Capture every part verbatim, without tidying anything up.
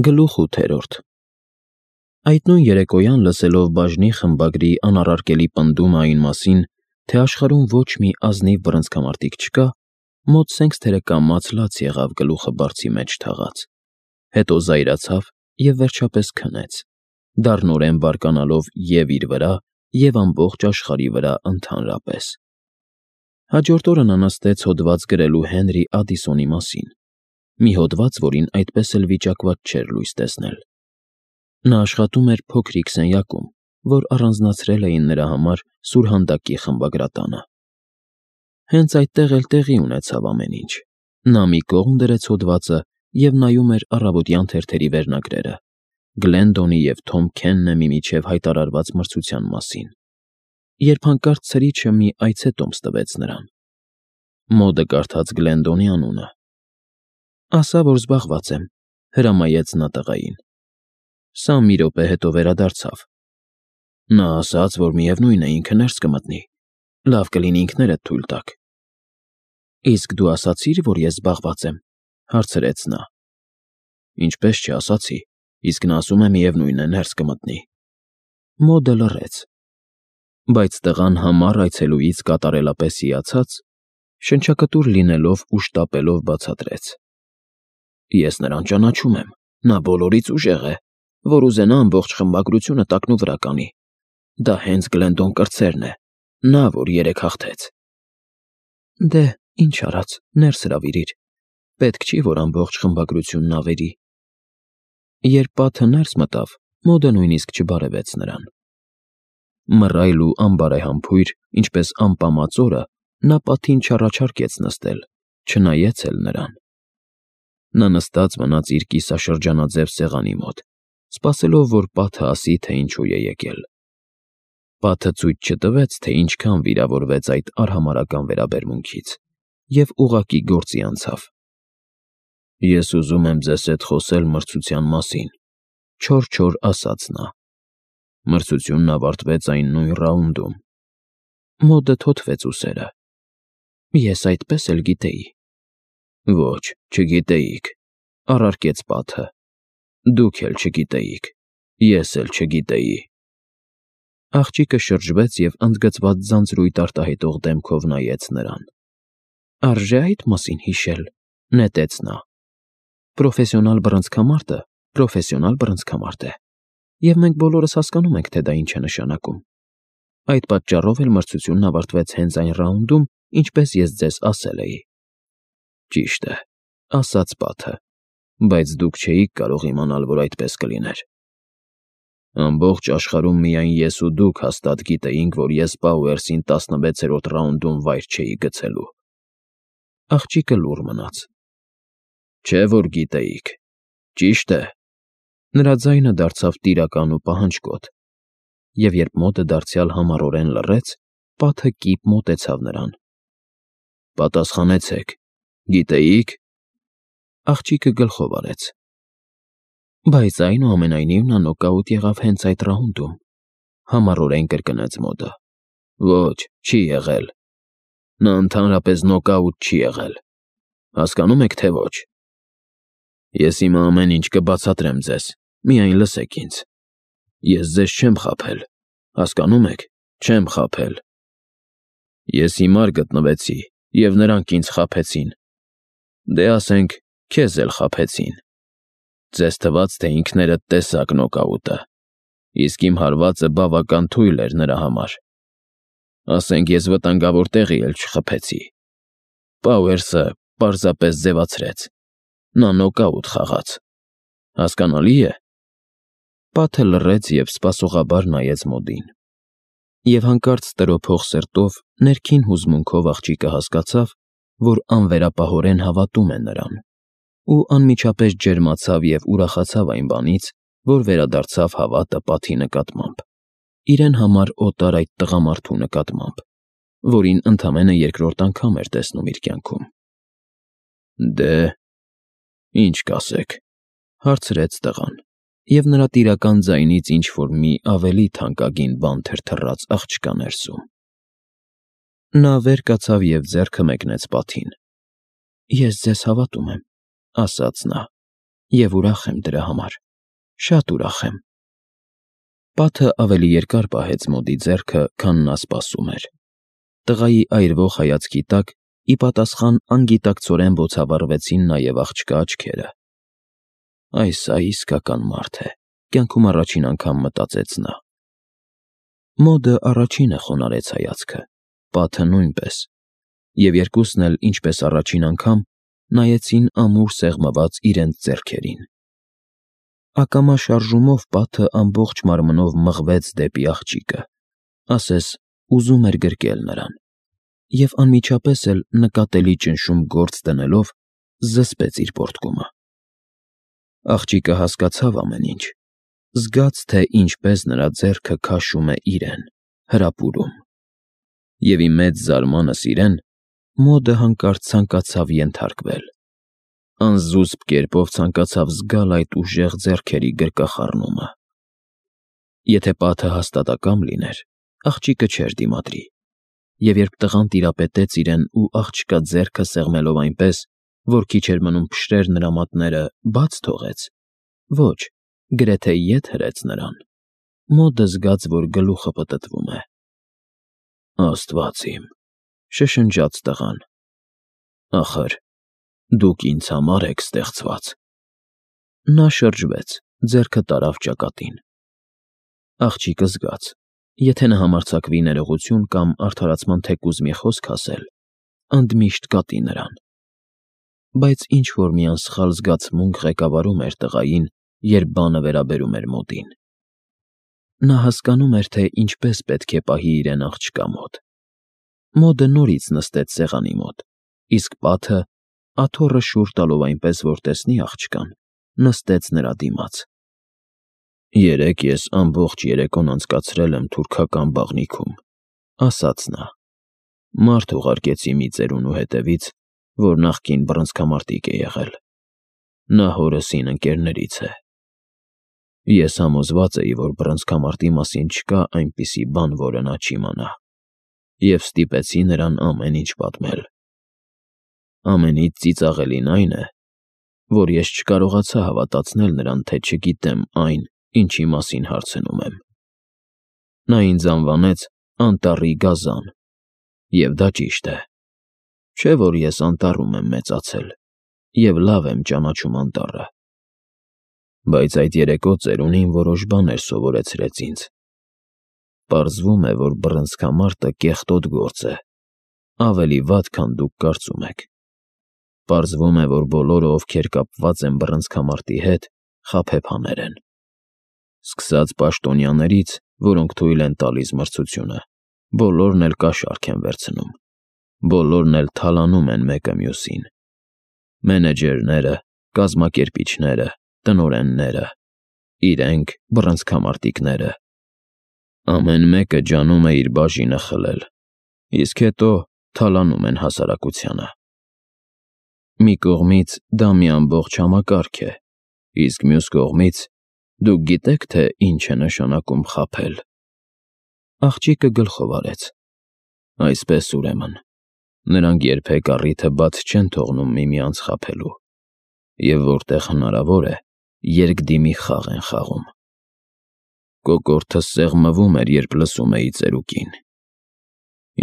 Գլուխ ութերորդ Այդ նույն երեկոյան, լսելով բաժնի խմբագրի անառարկելի պնդումը այն մասին, թե աշխարհում ոչ մի ազնիվ բռնցքամարտիկ չկա, մոտ սենքսթերը կամաց լաց եղավ գլուխը բարձի մեջ թաղած, հետո զայրացավ և վերջապես քնեց, դառնորեն բարկանալով և՛ իր վրա, և՛ ամբողջ աշխարհի վրա ընդհանրապես։ Հաջորդ օրը նա նստեց հոդված գրելու Հենրի Ադիսոնի մասին, մի հոդված, որին այդպես էլ վիճակված չէր լույս տեսնել։ Նա աշխատում էր փոքրիկ սենյակում, որ առանձնացրել էին նրա համար սուրհանդակի խմբագրատանը։ Հենց այդտեղ էլ տեղի ունեցավ ամեն ինչ։ Նա մի կողմ դրեց հոդվածը և նայում էր առավոտյան թերթերի վերնագրերը՝ Գլենդոնի և Թոմ Քեննեմի միջև հայտարարված մրցության մասին, երբ հանկարծ ցրիչը մի այցետոմս տվեց նրան։ Մոդը կարդաց Գլենդոնի անունը։ «Ասա, որ զբաղված եմ», հրամայեց նա տղային։ Սա մի րոպե հետո վերադարձավ։ Նա ասաց, որ միևնույն է, ինքը ներս կմտնի, լավ կլինի ինքներդ թույլ տաք։ «Իսկ դու ասացի՞ր, որ ես զբաղված եմ», հարցրեց նա։ «Ինչպես չասացի, իսկ նա ասում է միևնույն է, ներս կմտնի»։ Մոդը լռեց։ Բայց տղան համառ այցելուից կատարելապես հիացած, շնչակտուր լինելով ու շտապելով բացատրեց. «Ես նրան ճանաչում եմ, նա բոլորից ուժեղ է, որ ուզենա ամբողջ խմբագրությունը տակնուվրա կանի։ Դա հենց Գլենդոն կրտսերն է, նա, որ երեկ հաղթեց»։ «Դե, ինչ արած, ներս հրավիրիր, պետք չի, որ ամբողջ խմբագրությունն ավերի»։ Երբ պատը ներս մտավ, Մոդը նույնիսկ չբարևեց նրան։ Մռայլ ու անբարեհամբույր, ինչպես ամպամած օրը, նա պատին չառաջարկեց նստել, չնայեց էլ նրան։ Նա նստած մնաց իր կիսաշրջանաձև սեղանի մոտ, սպասելով, որ պատը ասի, թե ինչու է եկել։ Պատը ցույց չտվեց, թե ինչքան վիրավորվեց այդ արհամարհական վերաբերմունքից, և ուղղակի գործի անցավ։ «Ես ուզում եմ ձեզ հետ խոսել մրցության մասին», չոր-չոր ասաց նա։ Մրցությունն ավարտվեց այն նույն ռաունդում։ Մոդը թոթվեց ուսերը։ «Ես այդպես էլ գիտեի»։ «Ոչ, չգիտեիք», առարկեց պատը։ «Դուք էլ չգիտեիք, ես էլ չգիտեի»։ Աղջիկը շրջվեց և ընդգծված ձանձրույթ արտահայտող դեմքով նայեց նրան։ «Արժե՞ այդ մասին հիշել», նետեց նա։ «Պրոֆեսիոնալ բռնցքամարտը պրոֆեսիոնալ բռնցքամարտ է, և մենք բոլորս հասկանում ենք, թե դա ինչ է նշանակում։ Այդ պատճառով էլ մրցությունն ավարտվեց հենց այն ռաունդում, ինչպես ես ձեզ ասել էի»։ «Ճիշտ է», ասաց պատը, «բայց դուք չէիք կարող իմանալ, որ այդպես կլիներ։ Ամբողջ աշխարհում միայն ես ու դուք հաստատ գիտեինք, որ ես Պաուերսին տասնվեցերորդ ռաունդում վայր չէի գցելու»։ Աղջիկը լուռ մնաց։ «Չէ՞ որ գիտեիք, ճիշտ է»։ Նրա ձայնը դարձավ տիրական ու պահանջկոտ, և երբ Մոդը դարձյալ համառորեն լռեց, պատը կիպ մոտեցավ նրան։ «Պատասխանեցեք, գիտեի՞ք»։ Աղջիկը գլխով արեց։ «Բայց այնուամենայնիվ նա նոկաուտ եղավ հենց այդ ռաունդում», համառորեն կրկնեց Մոդը։ «Ոչ, չի եղել։ Նա ընդհանրապես նոկաուտ չի եղել։ Հասկանո՞ւմ եք, թե ոչ։ Ես հիմա ամեն ինչ կբացատրեմ ձեզ, միայն լսեք ինձ։ Ես ձեզ չեմ խաբել, հասկանո՞մ եք, չեմ խաբել։ Ես հիմար գտնվեցի, և նրանք ինձ խաբեցին։ Դե, ասենք, քեզ էլ խաբեցին։ Ձեզ թվաց, թե ինքներդ տեսաք նոկաուտը, իսկ իմ հարվածը բավական թույլ էր նրա համար։ Ասենք, ես վտանգավոր տեղի էլ չխփեցի։ Պաուերսը պարզապես ձևացրեց։ Նա նոկաուտ խաղաց։ Հասկանալի՞ է»։ Պատը լռեց և սպասողաբար նայեց Մոդին։ Եվ հանկարծ տրոփող սրտով, ներքին հուզմունքով աղջիկը հասկացավ, որ անվերապահորեն հավատում է նրան, ու անմիջապես ջերմացավ և ուրախացավ այն բանից, որ վերադարձավ հավատը պատի նկատմամբ, իրեն համար օտար այդ տղամարդու նկատմամբ, որին ընդամենը երկրորդ անգամ էր տեսնում իր կյանքում։ «Դե, ի՞նչ կասեք», հարցրեց տղան, և նրա տիրական ձայնից ինչ֊որ մի ավելի թանկագին բան թրթռաց աղջկա ներսում։ Նա վեր կացավ և ձեռքը մեկնեց պատին։ «Ես ձեզ հավատում եմ», ասաց նա։ Եվ ուրախ եմ դրա համար, շատ ուրախ եմ։ Պատը ավելի երկար պահեց Մոդի ձեռքը, քան նա սպասում էր։ Տղայի այրվող հայացքի տակ ի պատասխան անգիտակցորեն բոցավառվեցին նաև աղջկա աչքերը։ Այս սա իսկական մարդ է, կյանքում առաջին անգամ մտածեց նա։ Մոդը առաջինը խոնարհեց հայացքը, Պատը նույնպես, և երկուսն էլ, ինչպես առաջին անգամ, նայեցին ամուր սեղմված իրենց ձեռքերին։ Ակամա շարժումով Պատը ամբողջ մարմնով մղվեց դեպի աղջիկը, ասես ուզում էր գրկել նրան, և անմիջապես էլ նկատելի ճնշում գործ դնելով զսպեց իր պոռթկումը։ Աղջիկը հասկացավ ամեն ինչ, զգաց, թե ինչպես նրա ձեռքը քաշում է իրեն, հրապուրում։ Եվ ի մեծ զարմանս իրեն, Մոդը հանկարծ ցանկացավ ենթարկվել, անզուսպ կերպով ցանկացավ զգալ այդ ուժեղ ձեռքերի գրկախառնումը։ Եթե Պատը հաստատակամ լիներ, աղջիկը չէր դիմադրի, և երբ տղան տիրապետեց իրեն ու աղջկա ձեռքը սեղմելով այնպես, որ քիչ էր մնում փշրեր նրա մատները, բաց թողեց, ոչ, գրեթե ետ հրեց նրան, Մոդը զգաց, որ գլուխը պտտվում է։ Աստված իմ, շշնջաց տղան, ախր դուք ինձ համար եք ստեղծված։ Նա շրջվեց, ձեռքը տարավ ճակատին։ Աղջիկը զգաց, եթե նա համարձակվի ներողություն կամ արդարացման թեկուզ մի խոսք ասել, ընդմիշտ կատի նրան։ Բայց ինչ-որ մի անսխալ զգացմունք ղեկավարում էր տղային, երբ բանը վերաբերում էր Մոդին։ Նա հասկանում էր, թե ինչպես պետք է պահի իրեն աղջկա մոտ։ Մոդը նորից նստեց սեղանի մոտ, իսկ Պատը, աթոռը շուռ տալով այնպես, որ տեսնի աղջկան, նստեց նրա դիմաց։ Երեկ ես ամբողջ երեկոն անցկացրել եմ թուրքական բաղնիքում, ասաց նա։ Մարդ ուղարկեցի մի ծերունու հետևից, որ նախկին բռնցքամարտիկ է եղել։ Նա հորս հին ընկերներից է։ Ես համոզված էի, որ բռնցքամարտի մասին չկա այնպիսի բան, որը նա չիմանա, և ստիպեցի նրան ամեն ինչ պատմել։ Ամենից ծիծաղելին այն է, որ ես չկարողացա հավատացնել նրան, թե չգիտեմ այն, ինչի մասին հարցնում եմ։ Նա ինձ անվանեց Անտառի գազան, և դա ճիշտ է։ Չէ՞ որ ես անտառում եմ մեծացել և լավ եմ ճանաչում անտառը։ Բայց այդ երեկո ծերունին որոշ բաներ սովորեցրեց ինձ։ Պարզվում է, որ բռնցքամարտը կեղտոտ գործ է, ավելի վատ, քան դուք կարծում եք։ Պարզվում է, որ բոլորը, ովքեր կապված են բռնցքամարտի հետ, խաբեբաներ են։ Սկսած պաշտոնյաներից, որոնք թույլ են տալիս մրցությունը, բոլորն էլ կաշառք են վերցնում, բոլորն էլ թալանում են մեկը մյուսին։ Մենեջերները, կազմակերպիչները, տնօրենները, իրենք բռնցքամարտիկները։ Ամեն մեկը ջանում է իր բաժինը խլել, իսկ հետո թալանում են հասարակությանը։ Մի կողմից դա մի ամբողջ համակարգ է, իսկ մյուս կողմից դուք գիտե՞ք, թե ինչ է նշանակում խաբել։ Աղջիկը գլխով արեց։ Այսպես ուրեմն, նրանք երբեք առիթը բաց չեն թողնում միմյանց խաբելու, և որտեղ հնարավոր է, երկդիմի խաղ են խաղում։ Կոկորդս սեղմվում էր, երբ լսում էի ծերուկին։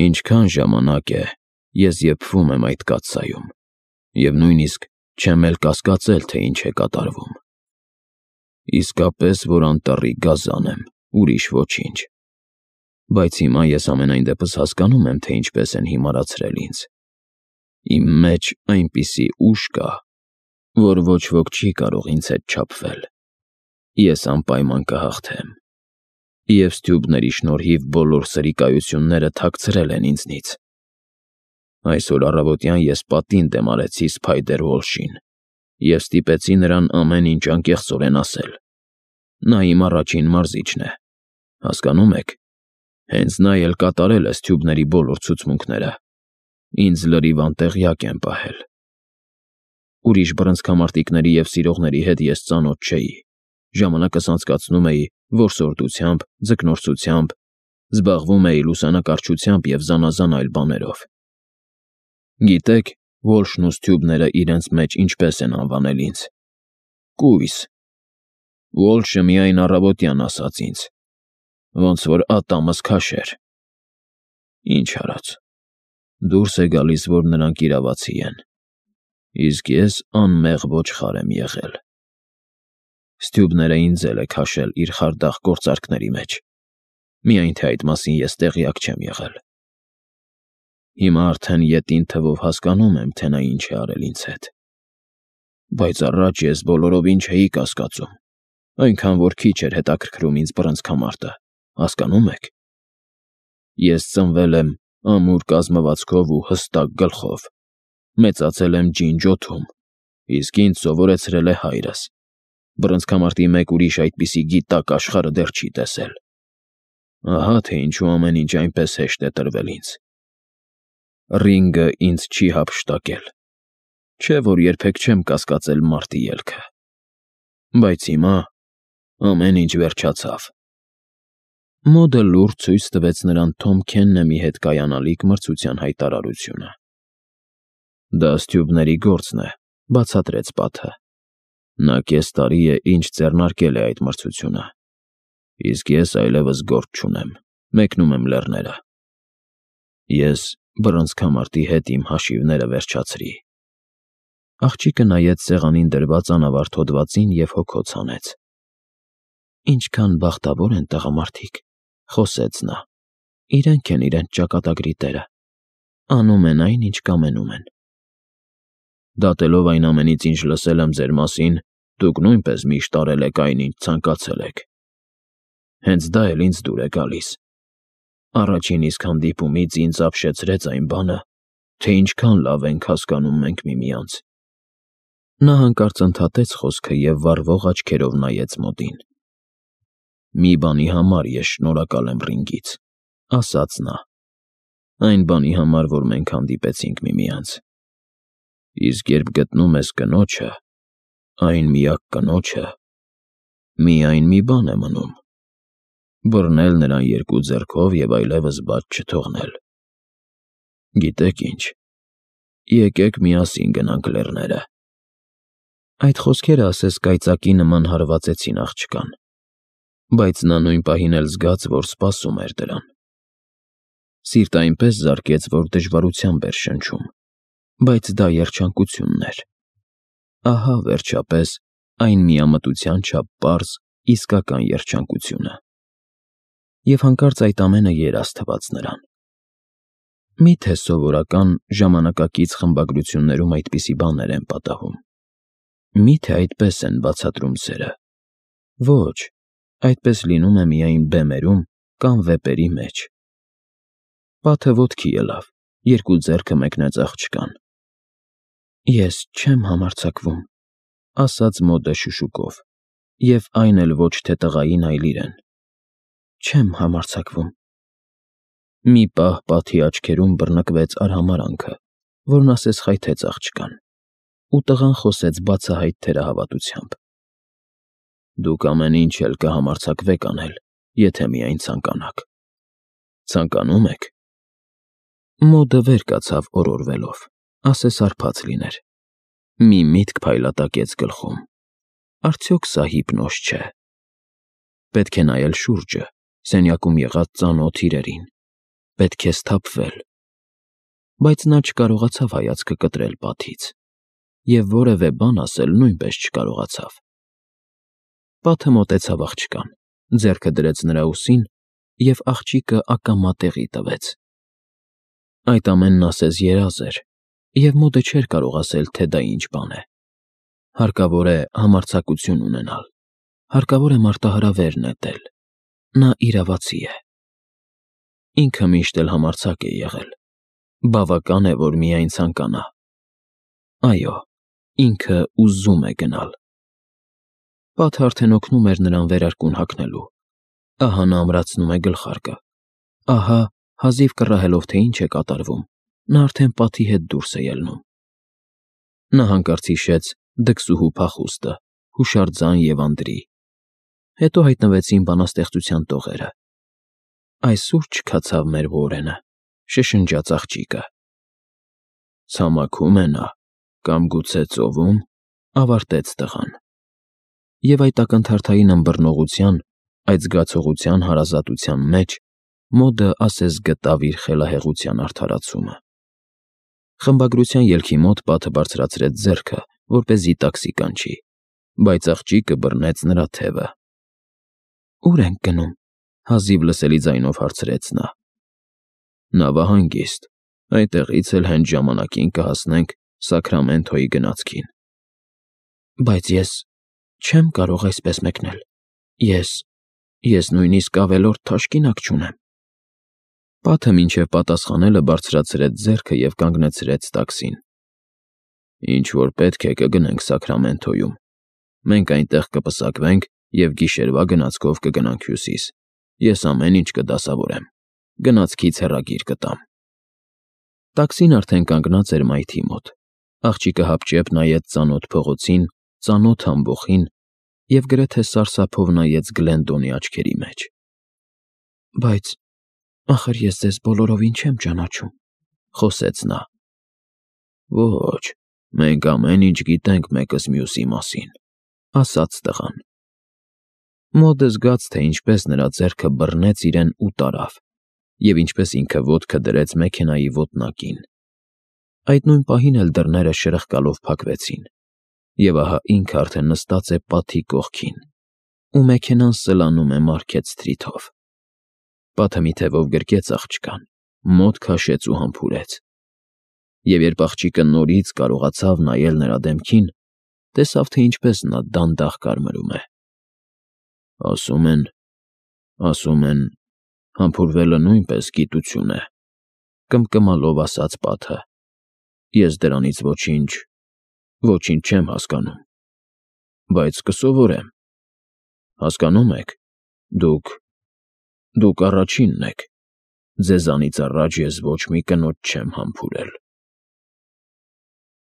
Ինչքան ժամանակ է, ես եփվում եմ այդ կաթսայում, և նույնիսկ չեմ էլ կասկածել, թե ինչ է կատարվում։ Իսկապես, որ անտառի գազան եմ, ուրիշ ոչինչ։ Բայց հիմա ես ամենայն դեպս հասկանում եմ, թե ինչպես են հիմարացրել ինձ։ Իմ մեջ այնպիսի ուժ կա, որ ոչ ոք չի կարող ինձ հետ չափվել։ Ես անպայման կհաղթեմ։ Եվ ստյուբների շնորհիվ բոլոր սրիկայությունները թաքցրել են ինձնից։ Այսօր առավոտյան ես պատին դեմ արեցի Սփայդեր Ուոլշին և ստիպեցի նրան ամեն ինչ անկեղծորեն ասել։ Նա իմ առաջին մարզիչն է, հասկանո՞ւմ եք։ Հենց նա էլ կատարել է ստյուբների բոլոր ցուցմունքները։ Ինձ լրիվ անտեղյակ են պահել։ Ուրիշ բռնցքամարտիկների և սիրողների հետ ես ծանոթ չէի, ժամանակս անցկացնում էի որսորդությամբ, ձկնորսությամբ, զբաղվում էի լուսանկարչությամբ և զանազան այլ բաներով։ Գիտե՞ք, Ուոլշն ու ստյուբները իրենց մեջ ինչպես են անվանել ինձ։ Կույս։ Ուոլշը միայն առավոտյան ասաց ինձ, ոնց որ ատամս քաշեր։ Ինչ արած։ Դուրս է գալիս, որ նրանք իրավացի են, իսկ ես անմեղ ոչխար եմ եղել։ Ստյուբները ինձ էլ է քաշել իր խարդախ գործարքների մեջ, միայն թե այդ մասին ես տեղյակ չեմ եղել։ Հիմա արդեն ետին թվով հասկանում եմ, թե նա ինչ է արել ինձ հետ։ Բայց առաջ ես բոլորովին չէի կասկածում, այնքան որ քիչ էր հետաքրքրում ինձ բռնցքամարտը, հասկանո՞ւմ եք։ Ես ծնվել եմ ամուր կազմվածքով ու հստակ գլխով, մեծացել եմ ջինջոթում, իսկ ինձ սովորեցրել է հայրս։ Բռնցքամարտի մեկ ուրիշ այդպիսի գիտակ աշխարհը դեռ չի տեսել։ Ահա թե ինչու ամեն ինչ այնպես հեշտ է տրվել ինձ։ Ռինգը ինձ չի հափշտակել, չէ որ երբեք չեմ կասկածել մարտի ելքը։ Բայց հիմա ամեն ինչ վերջացավ։ Մոդը լուրջ ցույց տվեց նրան Թոմ Քեննեմի հետ կայանալիք մրցության հայտարարությունը։ Դա ստյուբների գործն է, բացատրեց Պատը։ Նա կես տարի է ինչ ձեռնարկել է այդ մրցությունը, իսկ ես այլևս գործ չունեմ, մեկնում եմ լեռները։ Ես բռնցքամարտի հետ իմ հաշիվները վերջացրի։ Աղջիկը նայեց սեղանին դրված անավարտ հոդվածին և հոգոց հանեց։ Ինչքան բախտավոր են տղամարդիկ, խոսեց նա։ Իրենք են իրենց ճակատագրի տերը, անում են այն, ինչ կամենում են։ Դատելով այն ամենից, ինչ լսել եմ ձեր մասին, դուք նույնպես միշտ արել եք այն, ինչ ցանկացել եք։ Հենց դա էլ ինձ դուր է գալիս։ Առաջին իսկ հանդիպումից ինձ ապշեցրեց այն բանը, թե ինչքան լավ ենք հասկանում մենք միմյանց։ Նա հանկարծ ընդհատեց խոսքը և վառվող աչքերով նայեց Մոդին։ Մի բանի համար ես շնորհակալ եմ Ռինգից, ասաց նա։ Այն բանի համար, որ մենք հանդիպեցինք միմյանց։ Իսկ երբ գտնում ես կնոջը, այն միակ կնոջը, միայն մի բան է մնում. բռնել նրան երկու ձեռքով և այլևս բաց չթողնել։ Գիտեք ինչ, եկեք միասին գնանք լեռները։ Այդ խոսքերը ասես կայծակի նման հարվածեցին աղջկան, բայց նա նույն պահին էլ զգաց, որ սպասում էր դրան։ Սիրտը այնպես զարկեց, որ դժվարությամբ էր շնչում, բայց դա երջանկությունն էր։ Ահա, վերջապես, այն միամտության չափ պարզ, իսկական երջանկությունը։ Եվ հանկարծ այդ ամենը երազ թվաց նրան։ Մի՞թե սովորական ժամանակակից խմբագրություններում այդպիսի բաներ են պատահում։ Մի՞թե այդպես են բացատրում սերը։ Ոչ, այդպես լինում է միայն բեմերում կամ վեպերի մեջ։ Պատը ոտքի ելավ, երկու ձեռքը մեկնեց աղջկան։ Ես չեմ համարձակվում, ասաց Մոդը շշուկով, և այն էլ ոչ թե տղային, այլ իրեն։ Չեմ համարձակվում։ Մի պահ Պատի աչքերում բռնկվեց արհամարհանքը, որն ասես խայթեց աղջկան, ու տղան խոսեց բացահայտ թերահավատությամբ. Դուք ամեն ինչ էլ կհամարձակվեք անել, եթե միայն ցանկանաք։ Ցանկանում եք։ Մոդը վեր կացավ օրորվելով, ասես հարբած լիներ։ Մի միտք փայլատակեց գլխում. արդյոք սա հիպնոզ չէ։ Պետք է նայել շուրջը, սենյակում եղած ծանոթ իրերին, պետք է սթափվել։ Բայց նա չկարողացավ հայացքը կտրել Պատից, և որևէ բան ասել նույնպես չկարողացավ։ Պատը մոտեցավ աղջկան, ձեռքը դրեց նրա ուսին և աղջիկը ակամա տեղի տվեց։ Այդ ամենն ասես երազ էր, և Մոդը չէր կարող ասել, թե դա ինչ բան է։ Հարկավոր է համարձակություն ունենալ, հարկավոր է մարտահրավեր նետել։ Նա իրավացի է։ Ինքը միշտ էլ համարձակ է եղել։ Բավական է, որ միայն ցանկանա։ Այո, ինքը ուզում է գնալ։ Պատը արդեն օգնում էր նրան վերարկուն հագնելու։ Ահա նա ամրացնում է գլխարկը։ Ահա, հազիվ կռահելով, թե ինչ է կատարվում, նա արդեն Պատի հետ դուրս է ելնում։ Նա հանկարծ հիշեց դքսուհու փախուստը, հուշարձան և Անդրի։ Հետո հայտնվեցին բանաստեղծության տողերը։ Այսօր չքացավ մեր Ուորենը, շշնջաց աղջիկը։ Ցամաքում է նա, կամ գուցե ծովում, ավարտեց տղան։ Եվ այդ ակնթարթային ըմբռնողության, այդ զգացողության հարազատության մեջ Մոդը ասես գտավ իր խելահեղության արդարացումը։ Խմբագրության ելքի մոտ պատը բարձրացրեց ձեռքը, որպեսզի տաքսի կանչի, բայց աղջիկը բռնեց նրա թևը։ «Ո՞ւր ենք գնում», հազիվ լսելի ձայնով հարցրեց նա։ «Նավահանգիստ, այդտեղից էլ հենց ժամանակին կհասնենք Սաքրամենթոյի գնացքին»։ «Բայց ես չեմ կարող այսպես մեկնել, ես… ես նույնիսկ ավելորդ թաշկինակ չունեմ»։ Պատը մինչև պատասխանելը բարձրացրեց ձեռքը և կանգնեցրեց տաքսին։ «Ինչ որ պետք է կգնենք Սաքրամենթոյում, մենք այնտեղ կպսակվենք և գիշերվա գնացքով կգնանք Հյուսիս, ես ամեն ինչ կդասավորեմ, գնացքից հեռագիր կտամ»։ Տաքսին արդեն կանգնած էր մայթի մոտ։ Աղջիկը հապճեպ նայեց ծանոթ փողոցին, ծանոթ ամբոխին և գրեթե սարսափով նայեց Գլենդոնի աչքերի մեջ։ «Բայց ախր ես ձեզ բոլորովին չեմ ճանաչում», ֊ խոսեց նա։ «Ոչ, մենք ամեն ինչ գիտենք մեկս մյուսի մասին», ֊ ասաց տղան։ Մոդը զգաց, թե ինչպես նրա ձեռքը բռնեց իրեն ու տարավ, և ինչպես ինքը ոտքը դրեց մեքենայի ոտնակին։ Այդ նույն պահին էլ դռները շրխկալով փակվեցին, և ահա ինքը արդեն նստած է պատի կողքին, ու մեքենան սլանում է Մարքեթ Սթրիթով։ Պատը մի թևով գրկեց աղջկան, մոտ քաշեց ու համբուրեց։ Եվ երբ աղջիկը նորից կարողացավ նայել նրա դեմքին, տեսավ, թե ինչպես նա դանդաղ կարմրում է։ «Ասում են… ասում են… համբուրվելը նույնպես գիտություն է», ֊ կմկմալով ասաց պատը։ «Ես դրանից ոչինչ… ոչինչ չեմ հասկանում, բայց կսովորեմ։ Հասկանո՞ւմ եք, դուք… դուք առաջինն եք, ձեզանից առաջ ես ոչ մի կնոջ չեմ համբուրել»։